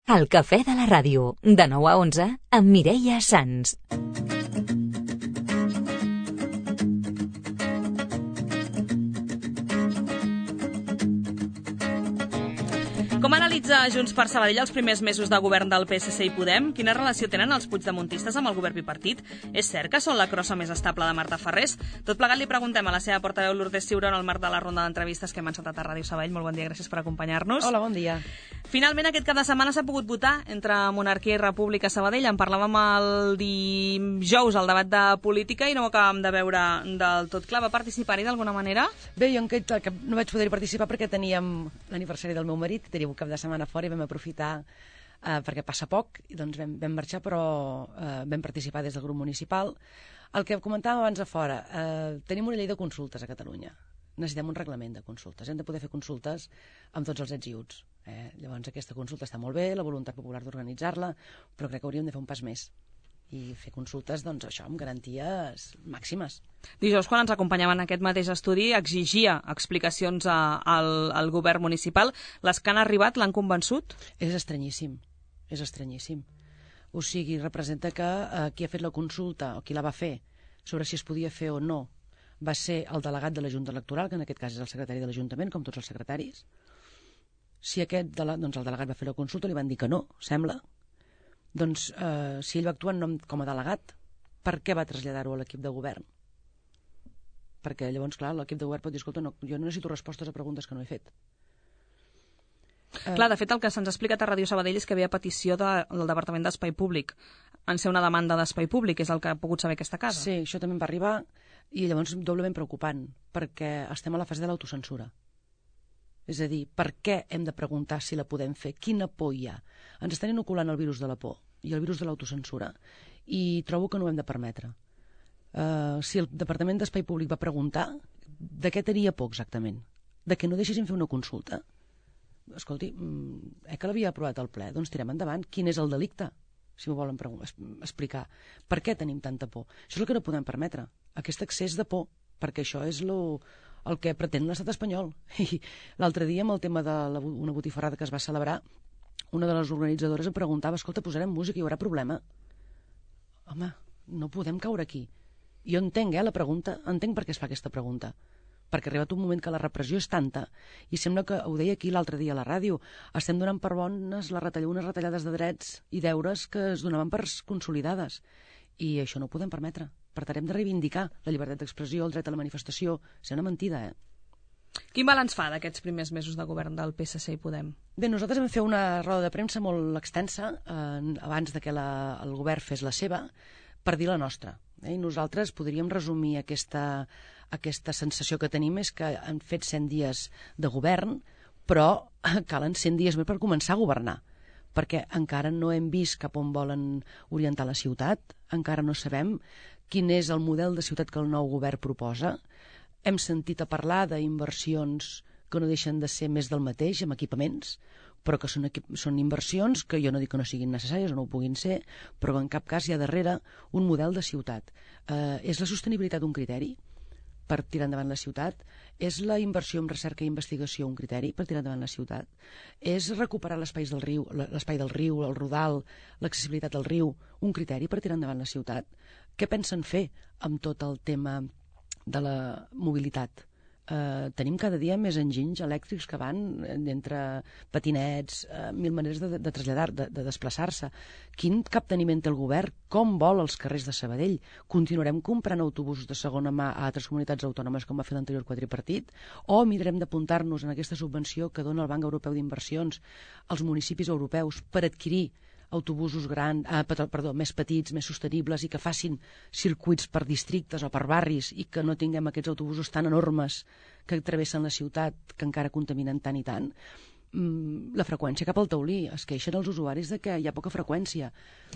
El cafè de la ràdio, de 9 a 11, amb Mireia Sans. Com analitza Junts per Sabadell els primers mesos de govern del PSC i Podem? Quina relació tenen els puigdemontistes amb el govern bipartit? És cert que són la crossa més estable de Marta Ferrés? Tot plegat li preguntem a la seva portaveu Lourdes Ciuró en el marc de la ronda d'entrevistes que hem encetat a Ràdio Sabadell. Molt bon dia, gràcies per acompanyar-nos. Hola, bon dia. Finalment, aquest cap de setmana s'ha pogut votar entre monarquia i república a Sabadell. En parlàvem el dijous al debat de política i no ho acabàvem de veure del tot clar. Va participar-hi d'alguna manera? Bé, jo no vaig poder participar perquè teníem l'aniversari del meu marit, teníem un cap de setmana fora i vam aprofitar perquè passa poc, i doncs vam marxar, però vam participar des del grup municipal. El que comentàvem abans a fora, tenim una llei de consultes a Catalunya. Necessitem un reglament de consultes. Hem de poder fer consultes amb tots els ets i uts. Llavors aquesta consulta està molt bé, la voluntat popular d'organitzar-la, però crec que hauríem de fer un pas més i fer consultes, doncs això, amb garanties màximes. Dijous, quan ens acompanyaven en aquest mateix estudi, exigia explicacions al govern municipal. Les que han arribat l'han convençut? És estranyíssim, és estranyíssim. O sigui, representa que qui ha fet la consulta, o qui la va fer, sobre si es podia fer o no, va ser el delegat de la Junta Electoral, que en aquest cas és el secretari de l'Ajuntament, com tots els secretaris. Si el delegat va fer la consulta, li van dir que no, sembla. Doncs, si ell va actuar com a delegat, per què va traslladar-ho a l'equip de govern? Perquè llavors, clar, l'equip de govern pot dir, escolta, no, jo no necessito respostes a preguntes que no he fet. Clar, de fet, el que se'ns ha explicat a Ràdio Sabadell és que havia petició del Departament d'Espai Públic en ser una demanda d'espai públic, és el que ha pogut saber aquesta casa. Sí, això també em va arribar, i llavors doblement preocupant, perquè estem a la fase de l'autocensura. És a dir, per què hem de preguntar si la podem fer? Quina por hi ha? Ens estan inoculant el virus de la por i el virus de l'autocensura, i trobo que no ho hem de permetre. Si el Departament d'Espai Públic va preguntar, de què tenia por exactament? De que no deixessin fer una consulta? Escolti, que l'havia aprovat al ple, doncs tirem endavant. Quin és el delicte? Si m'ho volen explicar. Per què tenim tanta por? Això és el que no podem permetre, aquest excés de por, perquè això és el que pretén l'estat espanyol. I l'altre dia, amb el tema d'una botifarrada que es va celebrar, una de les organitzadores em preguntava, escolta, posarem música, hi haurà problema? Home, no podem caure aquí. Jo entenc, la pregunta, entenc per què es fa aquesta pregunta. Perquè ha arribat un moment que la repressió és tanta, i sembla que, ho deia aquí l'altre dia a la ràdio, estem donant per bones unes retallades de drets i deures que es donaven per consolidades. I això no ho podem permetre. Per tant, hem de reivindicar la llibertat d'expressió, el dret a la manifestació. És una mentida, Quin balanç fa d'aquests primers mesos de govern del PSC i Podem? Bé, nosaltres vam fer una roda de premsa molt extensa abans de que el govern fes la seva, per dir la nostra. I nosaltres podríem resumir aquesta sensació que tenim, és que han fet 100 dies de govern, però calen 100 dies més per començar a governar, perquè encara no hem vist cap on volen orientar la ciutat, encara no sabem quin és el model de ciutat que el nou govern proposa. Hem sentit a parlar d'inversions que no deixen de ser més del mateix, amb equipaments, però que són inversions que jo no dic que no siguin necessàries o no ho puguin ser, però en cap cas hi ha darrere un model de ciutat. És la sostenibilitat un criteri per tirar endavant la ciutat? És la inversió en recerca i investigació un criteri per tirar endavant la ciutat? És recuperar l'espai del riu, el rodal, l'accessibilitat al riu, un criteri per tirar endavant la ciutat? Què pensen fer amb tot el tema de la mobilitat? Tenim cada dia més enginys elèctrics que van entre patinets, mil maneres de traslladar, de desplaçar-se. Quin capteniment té el govern? Com vol els carrers de Sabadell? Continuarem comprant autobusos de segona mà a altres comunitats autònomes com va fer l'anterior quadripartit? O mirarem d'apuntar-nos en aquesta subvenció que dona el Banc Europeu d'Inversions als municipis europeus per adquirir autobusos més petits, més sostenibles, i que facin circuits per districtes o per barris, i que no tinguem aquests autobusos tan enormes que travessen la ciutat, que encara contaminen tant i tant. La freqüència cap al taulí. Es queixen els usuaris de que hi ha poca freqüència.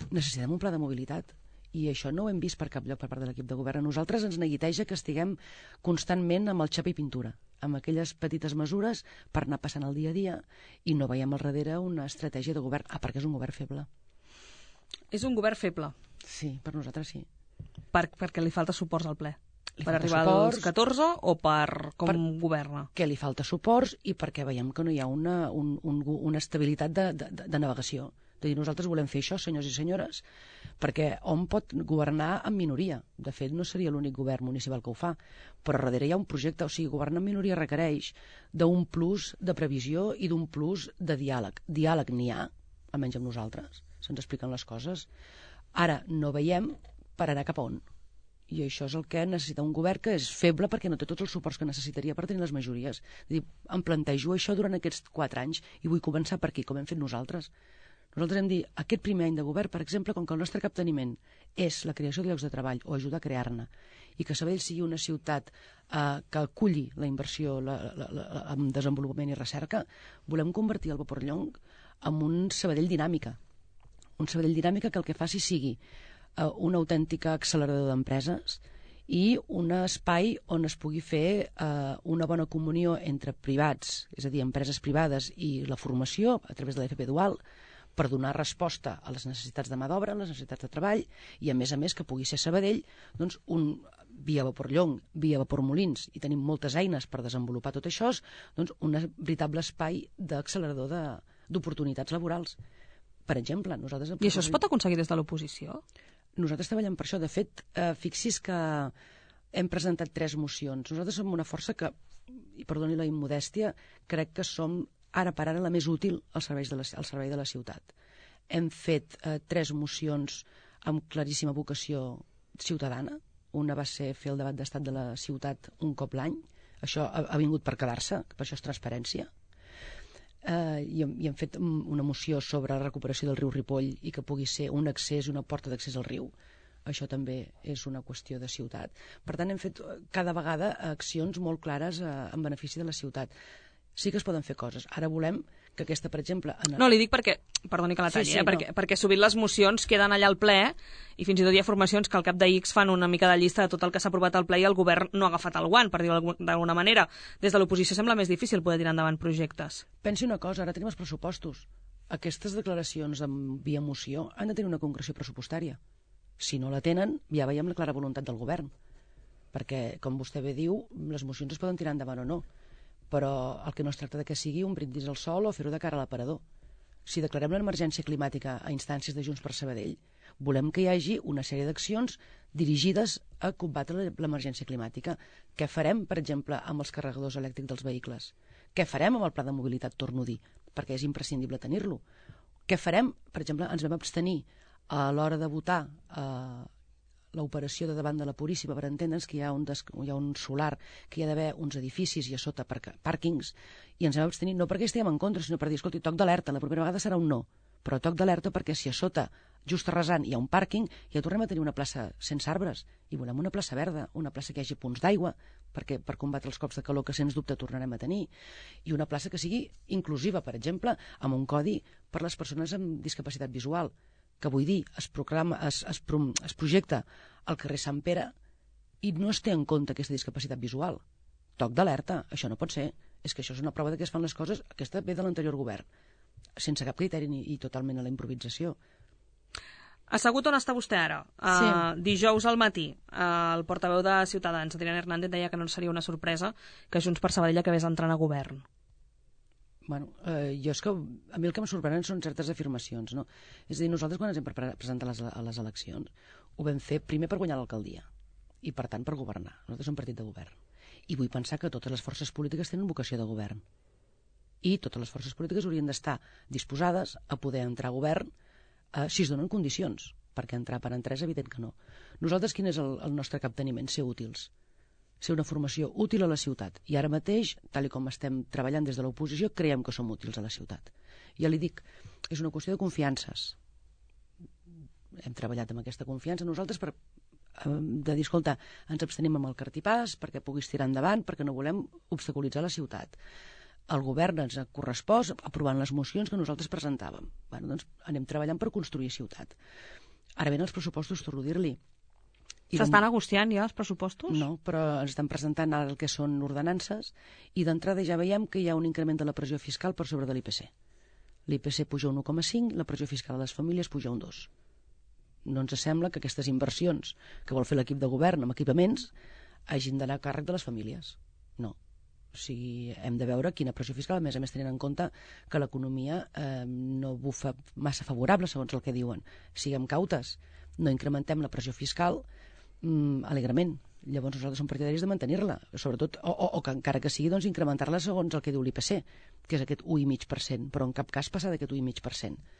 Necessitem un pla de mobilitat, i això no ho hem vist per cap lloc per part de l'equip de govern. A nosaltres ens neguiteja que estiguem constantment amb el xapa i pintura, amb aquelles petites mesures per anar passant el dia a dia, i no veiem al darrere una estratègia de govern. Perquè és un govern feble. És un govern feble? Sí, per nosaltres sí. Perquè li falta suports al ple? Per arribar als 14 o per com governa? Que li falta suports i perquè veiem que no hi ha una estabilitat de navegació. De dir, nosaltres volem fer això, senyors i senyores, perquè hom pot governar en minoria. De fet, no seria l'únic govern municipal que ho fa, però darrere hi ha un projecte. O sigui, governar en minoria requereix d'un plus de previsió i d'un plus de diàleg. Diàleg n'hi ha, almenys amb nosaltres, se'ns expliquen les coses. Ara, no veiem per anar cap a on. I això és el que necessita un govern que és feble perquè no té tots els suports que necessitaria per tenir les majories. És a dir, em plantejo això durant aquests 4 anys i vull començar per aquí, com hem fet nosaltres. Nosaltres hem dit, aquest primer any de govern, per exemple, com que el nostre capteniment és la creació de llocs de treball o ajudar a crear-ne, i que Sabadell sigui una ciutat que aculli la inversió en desenvolupament i recerca, volem convertir el Vaporellonc en un Sabadell dinàmica. Un Sabadell dinàmica que el que faci sigui un autèntic accelerador d'empreses i un espai on es pugui fer una bona comunió entre privats, és a dir, empreses privades i la formació a través de l'FP Dual, per donar resposta a les necessitats de mà d'obra, a les necessitats de treball, i a més que pugui ser Sabadell, doncs, via Vaporellonc, via Vapormolins, i tenim moltes eines per desenvolupar tot això, doncs un veritable espai d'accelerador d'oportunitats laborals. Per exemple, nosaltres... I això es pot aconseguir des de l'oposició? Nosaltres treballem per això. De fet, fixi's que hem presentat 3 mocions. Nosaltres som una força que, i perdoni la immodèstia, crec que som ara per ara la més útil al servei de la ciutat. Hem fet 3 mocions amb claríssima vocació ciutadana. Una va ser fer el debat d'estat de la ciutat un cop l'any. Això ha vingut per quedar-se, per això és transparència. I hem fet una moció sobre la recuperació del riu Ripoll i que pugui ser un accés, una porta d'accés al riu. Això també és una qüestió de ciutat. Per tant, hem fet cada vegada accions molt clares en benefici de la ciutat. Sí que es poden fer coses. Ara volem que aquesta, per exemple... No, li dic perquè, perdoni que la talli, perquè sovint les mocions queden allà al ple i fins i tot hi ha formacions que al cap de X fan una mica de llista de tot el que s'ha aprovat al ple i el govern no ha agafat el guant, per dir-ho d'alguna manera. Des de l'oposició sembla més difícil poder tirar endavant projectes. Pensi una cosa, ara tenim els pressupostos. Aquestes declaracions via moció han de tenir una concreció pressupostària. Si no la tenen, ja veiem la clara voluntat del govern. Perquè, com vostè bé diu, les mocions es poden tirar endavant o no. Però el que no es tracta de que sigui un brindis al sol o fer-ho de cara a l'aparador. Si declarem l'emergència climàtica a instàncies de Junts per Sabadell, volem que hi hagi una sèrie d'accions dirigides a combatre l'emergència climàtica. Què farem, per exemple, amb els carregadors elèctrics dels vehicles? Què farem amb el pla de mobilitat, torno a dir, perquè és imprescindible tenir-lo? Què farem, per exemple, ens vam abstenir a l'hora de votar l'operació de davant de la Puríssima, per entendre'ns que hi ha un solar, que hi ha d'haver uns edificis i a sota pàrquings, i ens vam abstenir no perquè estiguem en contra, sinó per dir, escolti, toc d'alerta, la propera vegada serà un no, però toc d'alerta perquè si a sota, just arrasant, hi ha un pàrquing, ja tornem a tenir una plaça sense arbres, i volem una plaça verda, una plaça que hi hagi punts d'aigua, perquè per combatre els cops de calor que sens dubte tornarem a tenir, i una plaça que sigui inclusiva, per exemple, amb un codi per les persones amb discapacitat visual, que vull dir, es projecta al carrer Sant Pere i no es té en compte aquesta discapacitat visual. Toc d'alerta, això no pot ser. És que això és una prova de que es fan les coses, aquesta ve de l'anterior govern, sense cap criteri i totalment a la improvisació. Assegut on està vostè ara? Sí. Dijous al matí, el portaveu de Ciutadans, Adrián Hernández, deia que no seria una sorpresa que Junts per Sabadell acabés entrant a govern. Bueno, jo és que a mi el que em sorprenen són certes afirmacions, no? És a dir, nosaltres quan ens hem presentat a les eleccions ho vam fer primer per guanyar l'alcaldia i per tant per governar. Nosaltres som partit de govern i vull pensar que totes les forces polítiques tenen vocació de govern i totes les forces polítiques haurien d'estar disposades a poder entrar a govern si es donen condicions, perquè entrar per entrar és evident que no. Nosaltres quin és el nostre capteniment? Ser útils, ser una formació útil a la ciutat. I ara mateix, tal com estem treballant des de l'oposició, creiem que som útils a la ciutat. Ja li dic, és una qüestió de confiances. Hem treballat amb aquesta confiança nosaltres de dir, escolta, ens abstenim amb el cartipàs perquè puguis tirar endavant, perquè no volem obstaculitzar la ciutat. El govern ens ha correspost aprovant les mocions que nosaltres presentàvem. Bueno, doncs anem treballant per construir ciutat. Ara venen els pressupostos, torno a dir-li. S'estan negociant ja els pressupostos? No, però ens estan presentant ara el que són ordenances i d'entrada ja veiem que hi ha un increment de la pressió fiscal per sobre de l'IPC. L'IPC puja un 1,5, la pressió fiscal a les famílies puja un 2. No ens sembla que aquestes inversions que vol fer l'equip de govern amb equipaments hagin d'anar a càrrec de les famílies. No. O sigui, hem de veure quina pressió fiscal, a més tenint en compte que l'economia no bufa massa favorable, segons el que diuen. Siguem cautes, no incrementem la pressió fiscal alegrement. Llavors nosaltres som partidaris de mantenir-la, sobretot, o que encara que sigui, doncs, incrementar-la segons el que diu l'IPC, que és aquest 1,5%, però en cap cas passar d'aquest 1,5%.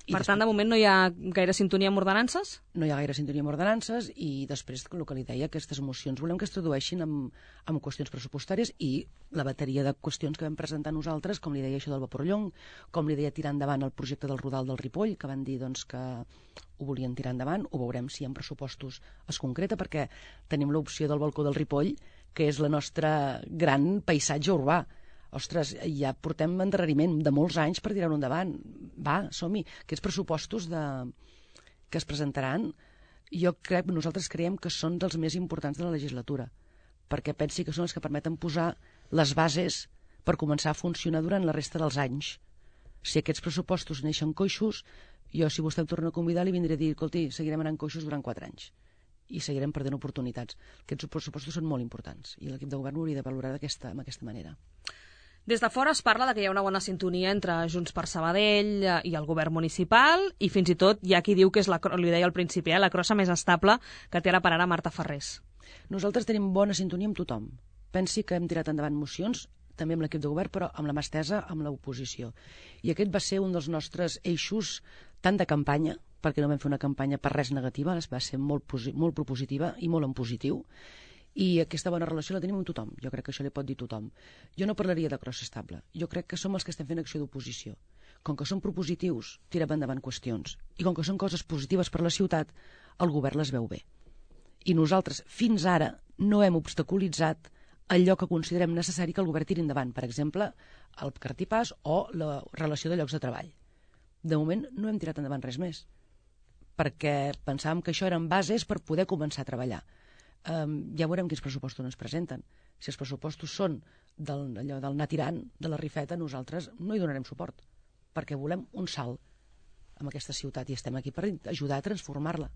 Per tant, de moment no hi ha gaire sintonia amb ordenances? No hi ha gaire sintonia amb ordenances i després, el que li deia, aquestes mocions volem que es tradueixin en qüestions pressupostàries i la bateria de qüestions que vam presentar nosaltres, com li deia això del Vaporllong, com li deia tirar endavant el projecte del Rodal del Ripoll, que van dir doncs, que ho volien tirar endavant, ho veurem si en pressupostos es concreta, perquè tenim l'opció del balcó del Ripoll, que és la nostra gran paisatge urbà. Ostres, ja portem endarreriment de molts anys per tirar-ho endavant. Va, som-hi. Aquests pressupostos que es presentaran, nosaltres creiem que són dels més importants de la legislatura, perquè pensi que són els que permeten posar les bases per començar a funcionar durant la resta dels anys. Si aquests pressupostos neixen coixos, jo, si vostè em torna a convidar, li vindré a dir, escolti, seguirem anant coixos durant 4 anys i seguirem perdent oportunitats. Aquests pressupostos són molt importants i l'equip de govern ho hauria de valorar d'aquesta manera. Des de fora es parla de que hi ha una bona sintonia entre Junts per Sabadell i el govern municipal i fins i tot hi ha qui diu que és, li deia al principi, la crossa més estable que té ara per ara Marta Ferrés. Nosaltres tenim bona sintonia amb tothom. Pensi que hem tirat endavant mocions, també amb l'equip de govern, però amb la mà estesa amb l'oposició. I aquest va ser un dels nostres eixos tant de campanya, perquè no vam fer una campanya per res negativa, va ser molt propositiva i molt en positiu, i aquesta bona relació la tenim amb tothom. Jo crec que això li pot dir tothom. Jo no parlaria de crossa estable. Jo crec que som els que estem fent acció d'oposició. Com que som propositius, tirem endavant qüestions. I com que són coses positives per a la ciutat, el govern les veu bé. I nosaltres, fins ara, no hem obstaculitzat allò que considerem necessari que el govern tiri endavant. Per exemple, el cartipàs o la relació de llocs de treball. De moment no hem tirat endavant res més, perquè pensàvem que això eren bases per poder començar a treballar. Ja veurem quins pressupostos ens presenten. Si els pressupostos són del anar tirant, de la rifeta, nosaltres no hi donarem suport, perquè volem un salt en aquesta ciutat i estem aquí per ajudar a transformar-la.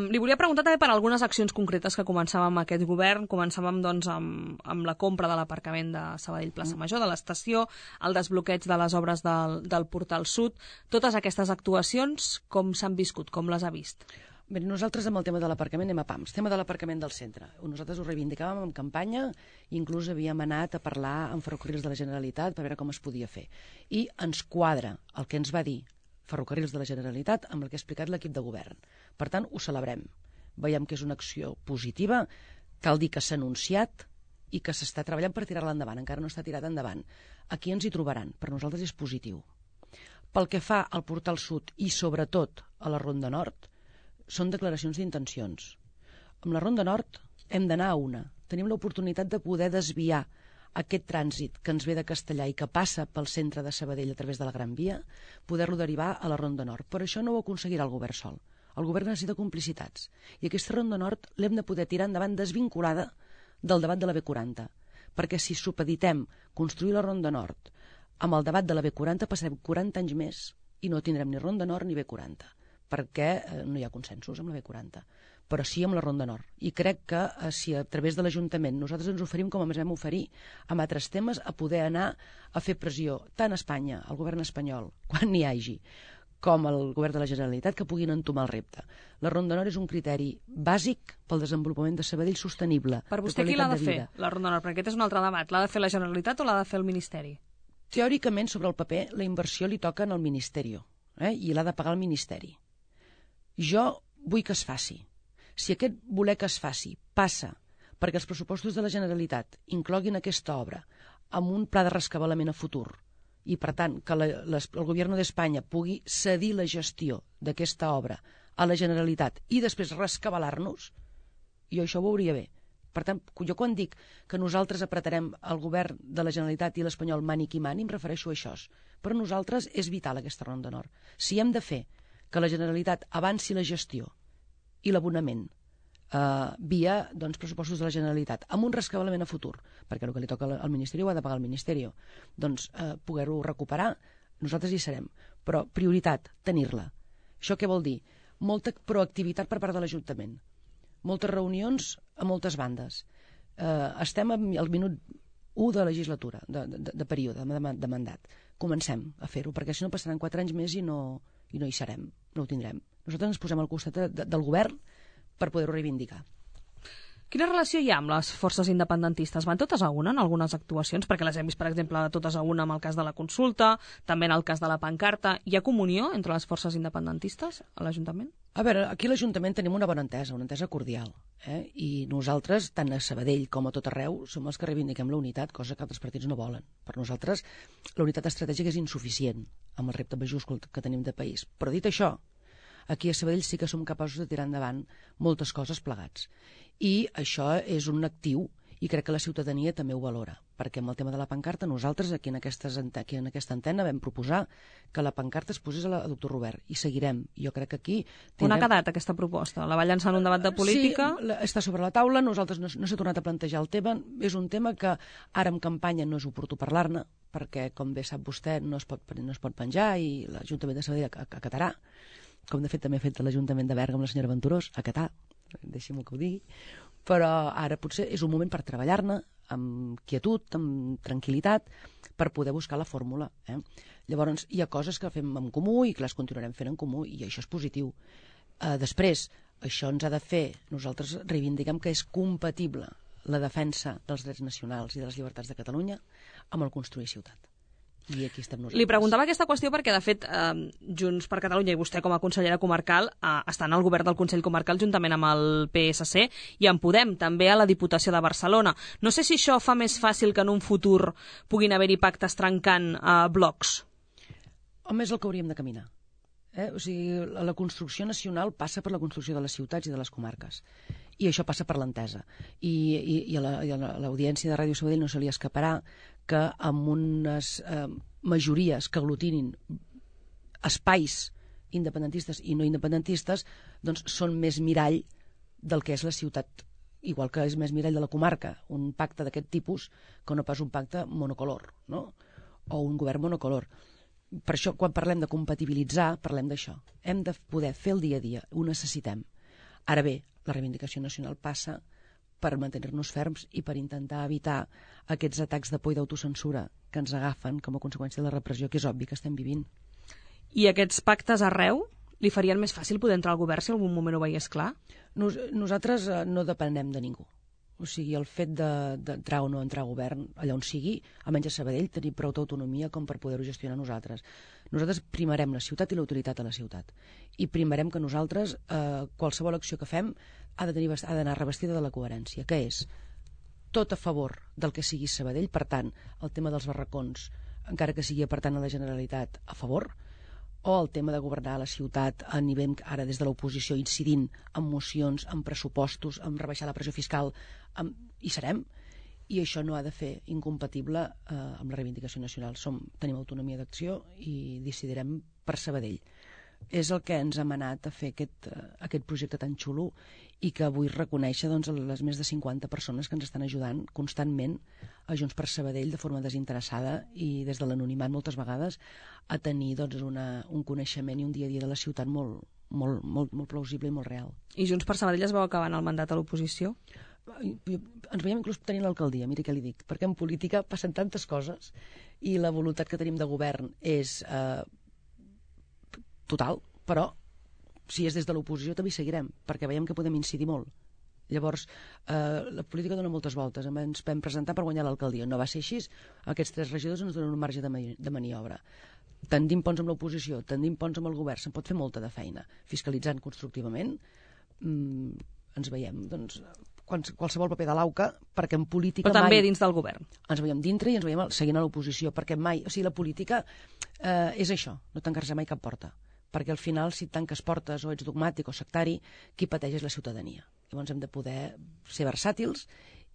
Li volia preguntar també per algunes accions concretes que començàvem amb aquest govern. Començàvem doncs, amb la compra de l'aparcament de Sabadell Plaça Major, de l'estació, el desbloqueig de les obres del Portal Sud. Totes aquestes actuacions, com s'han viscut, com les ha vist? Bé, nosaltres amb el tema de l'aparcament anem a pams. Tema de l'aparcament del centre. Nosaltres ho reivindicàvem en campanya, inclús havíem anat a parlar amb Ferrocarrils de la Generalitat per veure com es podia fer. I ens quadra el que ens va dir Ferrocarrils de la Generalitat amb el que ha explicat l'equip de govern. Per tant, ho celebrem. Veiem que és una acció positiva, cal dir que s'ha anunciat i que s'està treballant per tirar-la endavant. Encara no està tirat endavant. Aquí ens hi trobaran. Per nosaltres és positiu. Pel que fa al Portal Sud i sobretot a la Ronda Nord, són declaracions d'intencions. Amb la Ronda Nord hem d'anar a una. Tenim l'oportunitat de poder desviar aquest trànsit que ens ve de Castellà i que passa pel centre de Sabadell a través de la Gran Via, poder-lo derivar a la Ronda Nord. Però això no ho aconseguirà el govern sol. El govern necessita complicitats. I aquesta Ronda Nord l'hem de poder tirar endavant desvinculada del debat de la B40. Perquè si supeditem construir la Ronda Nord amb el debat de la B40 passarem 40 anys més i no tindrem ni Ronda Nord ni B40. Perquè no hi ha consensos amb la B40, però sí amb la Ronda Nord. I crec que si a través de l'Ajuntament nosaltres ens oferim, com ens vam oferir amb altres temes, a poder anar a fer pressió tant a Espanya, al govern espanyol, quan n'hi hagi, com al govern de la Generalitat, que puguin entomar el repte. La Ronda Nord és un criteri bàsic pel desenvolupament de Sabadell sostenible. Per vostè qui l'ha de fer, la Ronda Nord? Perquè aquest és un altre debat. L'ha de fer la Generalitat o l'ha de fer el Ministeri? Teòricament, sobre el paper, la inversió li toca al Ministeri, i l'ha de pagar el Ministeri. Jo vull que es faci. Si aquest voler que es faci passa perquè els pressupostos de la Generalitat incloguin aquesta obra amb un pla de rescabalament a futur i, per tant, que el govern d'Espanya pugui cedir la gestió d'aquesta obra a la Generalitat i després rescabalar-nos, jo això ho veuria bé. Per tant, jo quan dic que nosaltres apretarem el govern de la Generalitat i l'espanyol mani qui mani, em refereixo a això. Per nosaltres és vital aquesta Ronda Nord. Si hem de fer que la Generalitat avanci la gestió i l'abonament via pressupostos de la Generalitat, amb un rescabalament a futur, perquè el que li toca al Ministeri ho ha de pagar el Ministeri, doncs poder-ho recuperar, nosaltres hi serem. Però prioritat, tenir-la. Això què vol dir? Molta proactivitat per part de l'Ajuntament. moltes reunions a moltes bandes. Estem al minut 1 de legislatura, de període, de mandat. Comencem a fer-ho, perquè si no passaran 4 anys més i no hi serem, no ho tindrem. Nosaltres ens posem al costat del govern per poder-ho reivindicar. Quina relació hi ha amb les forces independentistes? Van totes a una en algunes actuacions? Perquè les hem vist, per exemple, totes a una amb el cas de la consulta, també en el cas de la pancarta. Hi ha comunió entre les forces independentistes a l'Ajuntament? A veure, aquí a l'Ajuntament tenim una bona entesa cordial. I nosaltres, tant a Sabadell com a tot arreu, som els que reivindiquem la unitat, cosa que altres partits no volen. Per nosaltres, la unitat estratègica és insuficient amb el repte majúscul que tenim de país. Però dit això, aquí a Sabadell sí que som capaços de tirar endavant moltes coses plegats. I això és un actiu i crec que la ciutadania també ho valora, perquè amb el tema de la pancarta nosaltres aquí en aquesta antena vam proposar que la pancarta es posés a Doctor Robert i seguirem. Jo crec que aquí... On ha quedat aquesta proposta? La va llançar en un debat de política? Sí, està sobre la taula, nosaltres no s'ha tornat a plantejar el tema, és un tema que ara en campanya no és oportú parlar-ne, perquè com bé sap vostè no es pot penjar i l'Ajuntament de Sabadell acatarà, com de fet també ha fet l'Ajuntament de Berga amb la senyora Venturós, acatar, deixi'm que ho digui, però ara potser és un moment per treballar-ne amb quietud, amb tranquil·litat, per poder buscar la fórmula. Llavors, hi ha coses que fem en comú i que les continuarem fent en comú, i això és positiu. Després, això ens ha de fer, nosaltres reivindiquem que és compatible la defensa dels drets nacionals i de les llibertats de Catalunya amb el construir ciutat. I aquí estem nosaltres. Li preguntava aquesta qüestió perquè, de fet, Junts per Catalunya i vostè com a consellera comarcal estan al govern del Consell Comarcal juntament amb el PSC i en Podem, també a la Diputació de Barcelona. No sé si això fa més fàcil que en un futur puguin haver-hi pactes trencant blocs. Home, és el que hauríem de caminar. O sigui, la construcció nacional passa per la construcció de les ciutats i de les comarques. I això passa per l'entesa. I a l'audiència de Ràdio Sabadell no se li escaparà que amb unes majories que aglutinin espais independentistes i no independentistes doncs són més mirall del que és la ciutat, igual que és més mirall de la comarca, un pacte d'aquest tipus que no pas un pacte monocolor, no? O un govern monocolor. Per això, quan parlem de compatibilitzar, parlem d'això. Hem de poder fer el dia a dia, ho necessitem. Ara bé, la reivindicació nacional passa per mantenir-nos ferms i per intentar evitar aquests atacs de por i d'autocensura que ens agafen com a conseqüència de la repressió, que és obvi que estem vivint. I aquests pactes arreu li farien més fàcil poder entrar al govern si algun moment ho veiés clar? Nosaltres no depenem de ningú. O sigui, el fet d'entrar o no entrar al govern, allà on sigui, almenys a Sabadell, tenim prou autonomia com per poder-ho gestionar nosaltres. Nosaltres primarem la ciutat i la utilitat a la ciutat. I primarem que nosaltres, qualsevol acció que fem, ha d'anar revestida de la coherència, que és tot a favor del que sigui Sabadell, per tant, el tema dels barracons, encara que sigui per tant a la Generalitat, a favor, o el tema de governar la ciutat a nivell, ara des de l'oposició, incidint en mocions, en pressupostos, en rebaixar la pressió fiscal, hi serem, i això no ha de fer incompatible amb la reivindicació nacional. Tenim autonomia d'acció i decidirem per Sabadell. És el que ens ha manat a fer aquest projecte tan xulo i que vull reconèixer les més de 50 persones que ens estan ajudant constantment a Junts per Sabadell de forma desinteressada i des de l'anonimat moltes vegades a tenir un coneixement i un dia a dia de la ciutat molt plausible i molt real. I Junts per Sabadell es veu acabant el mandat a l'oposició? Ens veiem inclús tenint l'alcaldia, miri què li dic, perquè en política passen tantes coses i la voluntat que tenim de govern és total, però si és des de l'oposició també hi seguirem, perquè veiem que podem incidir molt. Llavors, la política dona moltes voltes. Ens vam presentar per guanyar l'alcaldia. No va ser així. Aquests 3 regidors ens donen un marge de maniobra. Tendim ponts amb l'oposició, tendim ponts amb el govern. Se'n pot fer molta de feina. Fiscalitzant constructivament, ens veiem, doncs, qualsevol paper de l'AUCA, perquè en política però també dins del govern. Ens veiem dintre i ens veiem seguint a l'oposició, perquè mai, o sigui, la política és això, no tancar-se mai cap porta. Perquè al final, si tanques portes o ets dogmàtic o sectari, qui pateix és la ciutadania. Llavors hem de poder ser versàtils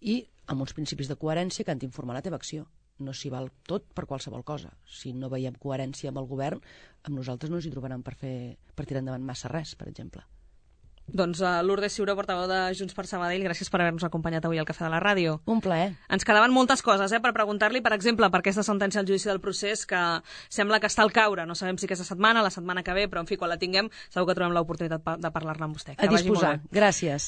i amb uns principis de coherència que han d'informar la teva acció. No s'hi val tot per qualsevol cosa. Si no veiem coherència amb el govern, amb nosaltres no ens hi trobaran per tirar endavant massa res, per exemple. Doncs Lourdes Ciuró, portaveu de Junts per Sabadell, gràcies per haver-nos acompanyat avui al Cafè de la Ràdio. Un plaer. Ens quedaven moltes coses per preguntar-li, per exemple, per aquesta sentència al judici del procés que sembla que està al caure. No sabem si aquesta setmana, la setmana que ve, però en fi, quan la tinguem segur que trobem l'oportunitat de parlar-ne amb vostè. A disposar. Gràcies.